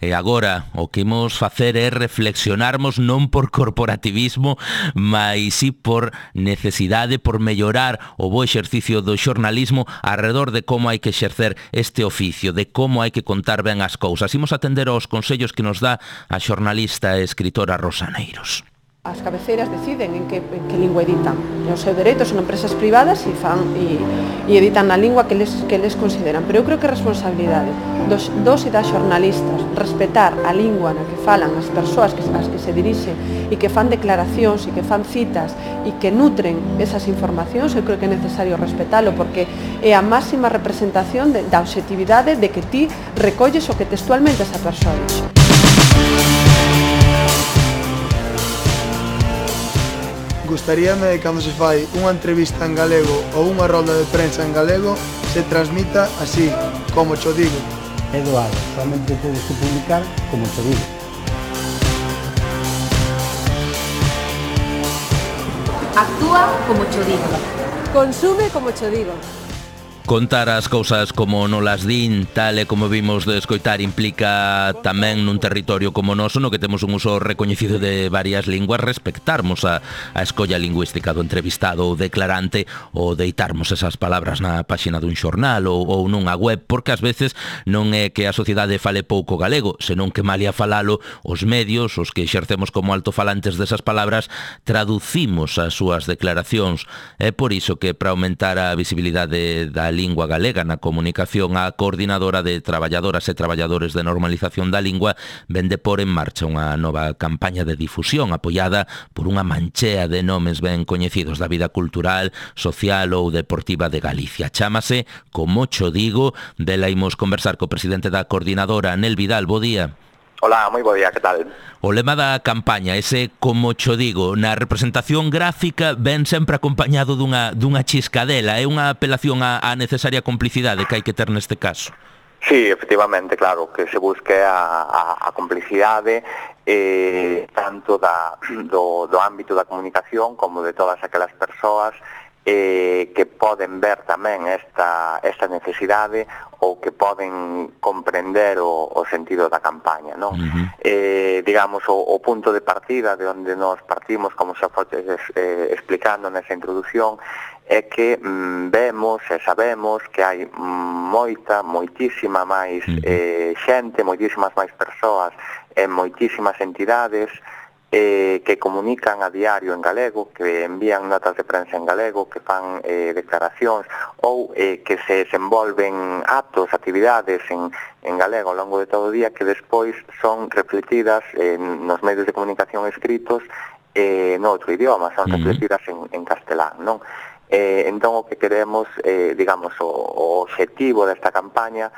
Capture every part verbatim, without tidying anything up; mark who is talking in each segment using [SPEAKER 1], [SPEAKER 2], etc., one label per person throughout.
[SPEAKER 1] E agora o que imos facer é reflexionarmos non por corporativismo, mas si por necesidade, por mellorar o bo exercicio do xornalismo alrededor de como hai que exercer este oficio, de como hai que contar ben as cousas. Imos atender aos consellos que nos dá a xornalista e escritora Rosa Neiros.
[SPEAKER 2] As cabeceiras deciden en que, en que lingua editan. E o seu dereito son empresas privadas e, fan, e, e editan na lingua que les, que les consideran. Pero eu creo que é responsabilidade dos, dos e das xornalistas respetar a lingua na que falan as persoas que, as que se dirixen e que fan declaracións e que fan citas e que nutren esas informacións. Eu creo que é necesario respetalo porque é a máxima representación de, da objetividade de que ti recolles o que textualmente esa persoa dixe.
[SPEAKER 3] Gustaríame, cando se fai unha entrevista en galego ou unha rolda de prensa en galego, se transmita así, como cho digo.
[SPEAKER 4] Eduardo, solamente tedes que publicar como cho digo.
[SPEAKER 5] Actúa como cho digo.
[SPEAKER 2] Consume como cho digo.
[SPEAKER 1] Contar as cousas como non las din, tal e como vimos de escoitar, implica tamén nun territorio como o noso, no que temos un uso recoñecido de varias linguas, respectarmos a, a escolla lingüística do entrevistado ou declarante, ou deitarmos esas palabras na páxina dun xornal ou, ou nunha web, porque ás veces non é que a sociedade fale pouco galego, senón que malia falalo, os medios, os que exercemos como altofalantes desas palabras, traducimos as súas declaracións. É por iso que, para aumentar a visibilidade da lingua galega na comunicación, a Coordinadora de Traballadoras e Traballadores de Normalización da Lingua vende por en marcha unha nova campaña de difusión apoiada por unha manchea de nomes ben coñecidos da vida cultural, social ou deportiva de Galicia. Chámase Como cho digo, dela imos conversar co presidente da Coordinadora, Anel Vidal. Bo día.
[SPEAKER 6] Hola, moi bo día, que tal?
[SPEAKER 1] O lema da campaña, ese Como cho digo, na representación gráfica ven sempre acompañado dunha, dunha chiscadela, é unha apelación á, á necesaria complicidade que hai que ter neste caso.
[SPEAKER 6] Sí, efectivamente, claro, que se busque a, a, a complicidade eh, tanto da, do, do ámbito da comunicación como de todas aquelas persoas eh, que poden ver tamén esta, esta necesidade ou que poden comprender o, o sentido da campaña, non? Uh-huh. Eh, digamos, o, o punto de partida de onde nos partimos, como xa foste eh, explicando nesa introducción, é que mm, vemos e sabemos que hai moita, moitísima máis eh, xente, moitísimas máis persoas e moitísimas entidades eh, que comunican a diario en galego, que envían notas de prensa en galego, que fan eh, declaracións ou eh, que se desenvolven actos, actividades en, en galego ao longo de todo o día que despois son refletidas eh, nos medios de comunicación escritos eh, no outro idioma, son refletidas en, en castelán, non? Eh, entón o que queremos, eh, digamos, o, o objetivo desta campaña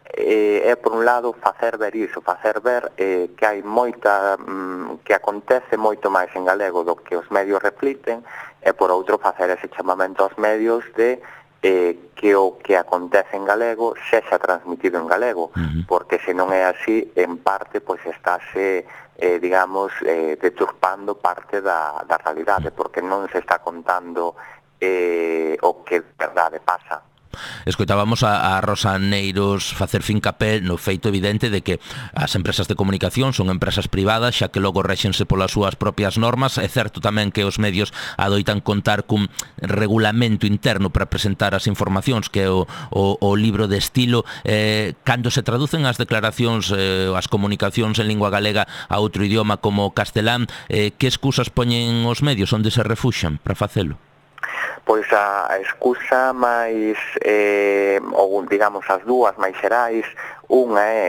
[SPEAKER 6] eh, é, por un lado, facer ver iso, facer ver eh, que hai moita, mm, que acontece moito máis en galego do que os medios refliten, e, por outro, facer ese chamamento aos medios de eh, que o que acontece en galego sexa transmitido en galego, uh-huh. porque se non é así, en parte, pois estáse, eh, digamos, eh, deturpando parte da, da realidade, porque non se está contando Eh, o que de verdade pasa.
[SPEAKER 1] Escoitábamos a, a Rosa Neiros facer fincapé no feito evidente de que as empresas de comunicación son empresas privadas, xa que logo réxense polas súas propias normas. É certo tamén que os medios adoitan contar cun regulamento interno para presentar as informacións, que é o, o, o libro de estilo. Eh, cando se traducen as declaracións, eh, as comunicacións en lingua galega a outro idioma como castelán, eh, que excusas poñen os medios, onde se refuxan para facelo?
[SPEAKER 6] Pois a, a excusa máis, eh, ou digamos as dúas máis xerais, unha é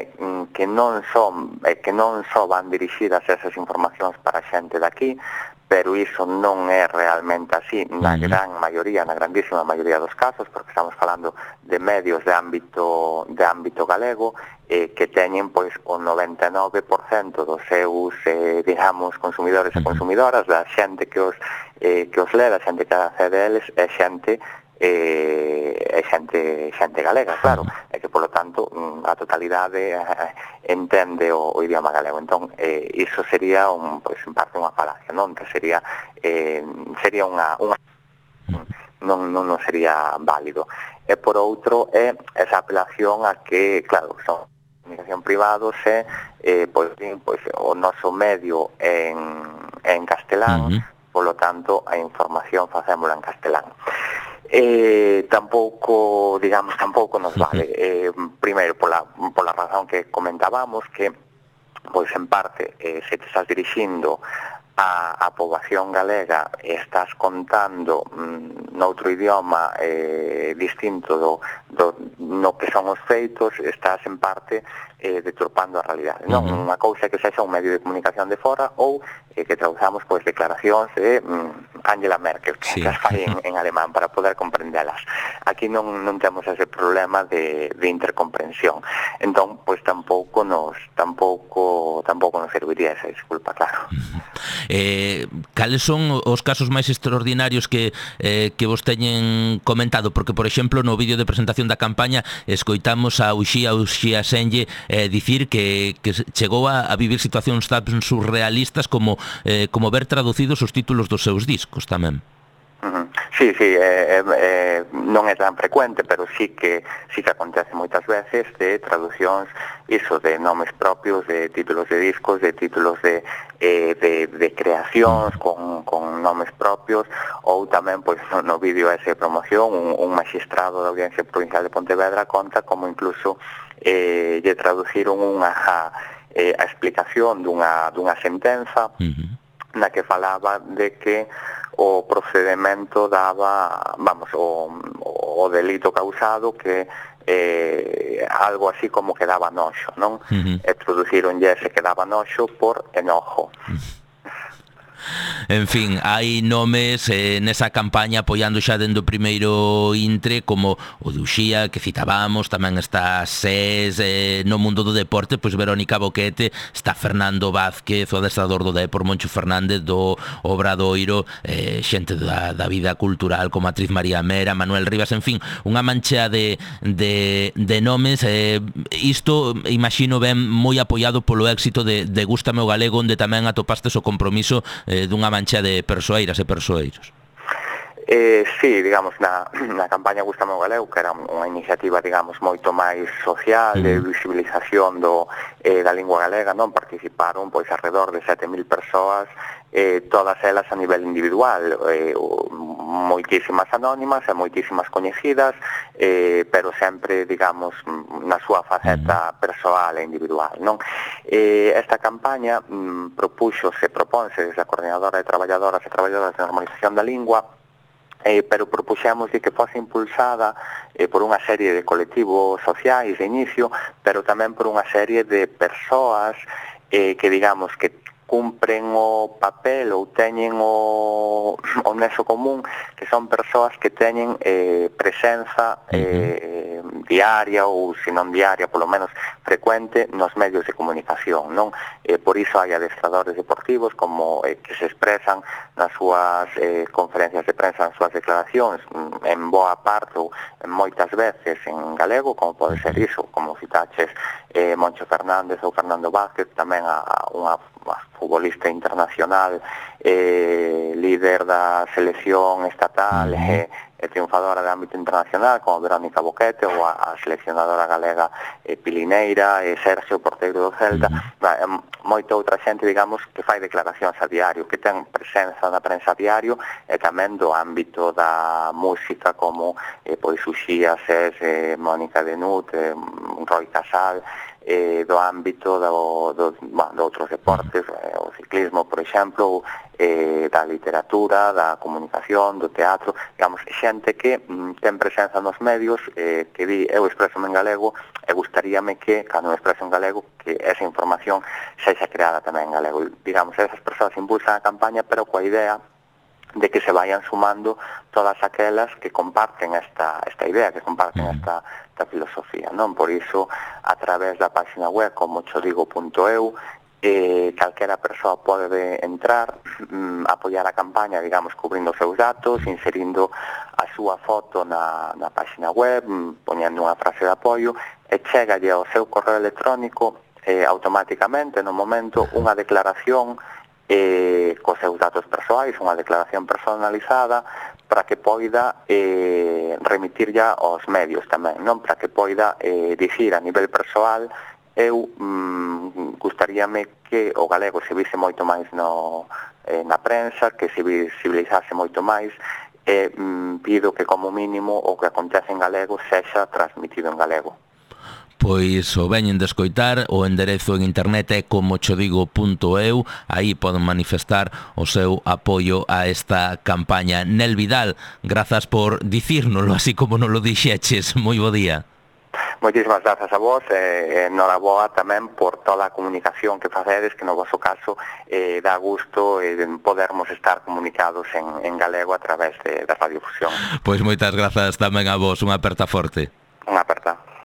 [SPEAKER 6] que non son eh, que non só van dirixidas esas informacións para a xente daqui, pero iso non é realmente así na gran maioría, na grandísima maioría dos casos, porque estamos falando de medios de ámbito de ámbito galego eh, que teñen pois o noventa e nove por cento dos seus, eh, digamos, consumidores e consumidoras, da xente que os eh, que os lê, da xente que accede a eles, é xente eh, é xente, xente galega, claro, e que, polo tanto, a totalidade eh, entende o, o idioma galego. Entón, eh, iso sería, un, pois, en parte, unha falacia, non? Que sería, eh, sería unha... unha non, non, non sería válido. E, por outro, é esa apelación a que, claro, son comunicación privados e eh, pois, pois, o noso medio en, en castelán, uh-huh. Polo tanto, a información facémola en castelán. Eh, tampouco, digamos, tampouco nos vale. Eh, primeiro, pola, pola razón que comentábamos, que, pois, en parte, eh, se te estás dirixindo a, a poboación galega e estás contando mm, noutro idioma eh, distinto do, do, no que son os feitos, estás, en parte, eh, deturpando a realidade. Non, uh-huh. Unha cousa que sexa un medio de comunicación de fora ou eh, que traduzamos pois declaracións de mm, Angela Merkel, que sí. As fai en, en alemán para poder comprendelas. Aquí non, non temos ese problema de, de intercomprensión. Entón, pois tampouco nos tampouco tampouco nos serviría esa disculpa, claro.
[SPEAKER 1] Uh-huh. Eh, cales son os casos máis extraordinarios que eh, que vos teñen comentado? Porque, por exemplo, no vídeo de presentación da campaña escoitamos a Uxía Uxía Senlle eh, dicir que, que chegou a, a vivir situacións tan surrealistas como, eh, como ver traducidos os títulos dos seus discos tamén.
[SPEAKER 6] Uh-huh. Sí, sí, eh, eh, non é tan frecuente, pero sí que sí que acontece moitas veces de traducións, iso, de nomes propios, de títulos de discos, de títulos de, eh, de, de creacións con, con nomes propios, ou tamén, pois, no, no vídeo ese de promoción, un, un magistrado da Audiencia Provincial de Pontevedra conta como incluso eh, lle traduciron unha eh, a explicación dunha, dunha sentenza uh-huh. na que falaba de que o procedimento daba, vamos, o, o delito causado que eh, algo así como que daba noxo, non? Uh-huh. E traduciron ese que daba noxo por enojo. Uh-huh.
[SPEAKER 1] En fin, hai nomes eh, nesa campaña apoiando xa dende o primeiro intre, como o de Uxía, que citábamos, tamén está SES, eh, no mundo do deporte, pois Verónica Boquete, está Fernando Vázquez, o adestrador do Depor, Moncho Fernández do Obradoiro, eh, xente da, da vida cultural como a actriz María Mera, Manuel Rivas, en fin, unha mancha de, de, de nomes. Eh, isto, imagino, ben moi apoiado polo éxito de, de Gústame o Galego, onde tamén atopastes o compromiso eh, dunha mancha de persoeiras e persoeiros.
[SPEAKER 6] Eh, sí, digamos, na, na campaña Gústame o Galego, que era unha iniciativa, digamos, moito máis social, de visibilización do, eh, da lingua galega, non? Participaron, pois, alrededor de sete mil persoas, eh, todas elas a nivel individual, eh, moitísimas anónimas e moitísimas coñecidas, eh, pero sempre, digamos, na súa faceta persoal e individual, non? Eh, esta campaña mm, propuxo, se propónse desde a Coordinadora de Traballadoras e Traballadoras de Normalización da Lingua, Eh, pero propuxemos de que fose impulsada eh, por unha serie de colectivos sociais de inicio, pero tamén por unha serie de persoas eh, que, digamos, que cumpren o papel ou teñen o, o nexo común, que son persoas que teñen eh, presenza eh, diaria ou, se non diaria, polo menos frecuente nos medios de comunicación, non? Eh, por iso hai adestradores deportivos como eh, que se expresan nas súas eh, conferencias de prensa, nas súas declaracións, en boa parte ou en moitas veces en galego, como pode ser iso, como citaches eh, Moncho Fernández ou Fernando Vázquez, tamén a, a unha futbolista internacional, eh, líder da selección estatal e eh, triunfadora de ámbito internacional, como Verónica Boquete, ou a, a seleccionadora galega eh, Pilineira, e Sergio, porteiro do Celta, uh-huh. eh, moita outra xente, digamos, que fai declaracións a diario, que ten presenza na prensa a diario, e tamén do ámbito da música, como eh, pois Uxía, SES, eh, Mónica Denut, eh, Roy Casal, eh, do ámbito do, do, bueno, de outros deportes, eh, o ciclismo, por exemplo, eh, da literatura, da comunicación, do teatro, digamos, xente que mm, ten presenza nos medios, eh, que di, eu expreso en galego, e gustaríame que, cando me expreso en galego, que esa información sexa creada tamén en galego. Digamos, esas persoas impulsan a campaña, pero coa idea de que se vayan sumando todas aquelas que comparten esta, esta idea, que comparten esta, esta filosofía, non? Por iso, a través da página web como chodigo punto eu, eh, calquera persoa pode entrar, mm, apoiar a campaña, digamos, cubrindo os seus datos, inserindo a súa foto na, na página web, mm, poñendo unha frase de apoio, e chegalle ao seu correo electrónico eh, automáticamente, no momento, unha declaración eh, cos seus datos persoais, unha declaración personalizada para que poida eh, remitir ya aos medios tamén, non? Para que poida eh, dicir a nivel persoal, eu mm, gustaría gustaríame que o galego se vise moito máis no, eh, na prensa, que se visibilizase moito máis, e mm, pido que como mínimo o que acontece en galego sexa transmitido en galego.
[SPEAKER 1] Pois o veñen de escoitar, o enderezo en internet é como cho digo punto eu, aí poden manifestar o seu apoio a esta campaña. Nel Vidal, grazas por dicírnolo así como non lo dixeches. Moi bo día.
[SPEAKER 6] Moitísimas grazas a vos e eh, noraboa tamén por toda a comunicación que facedes, que no vosso caso eh, dá gusto eh, podermos estar comunicados en, en galego a través de, da radiofusión.
[SPEAKER 1] Pois moitas grazas tamén a vos, unha aperta forte.
[SPEAKER 6] Unha aperta.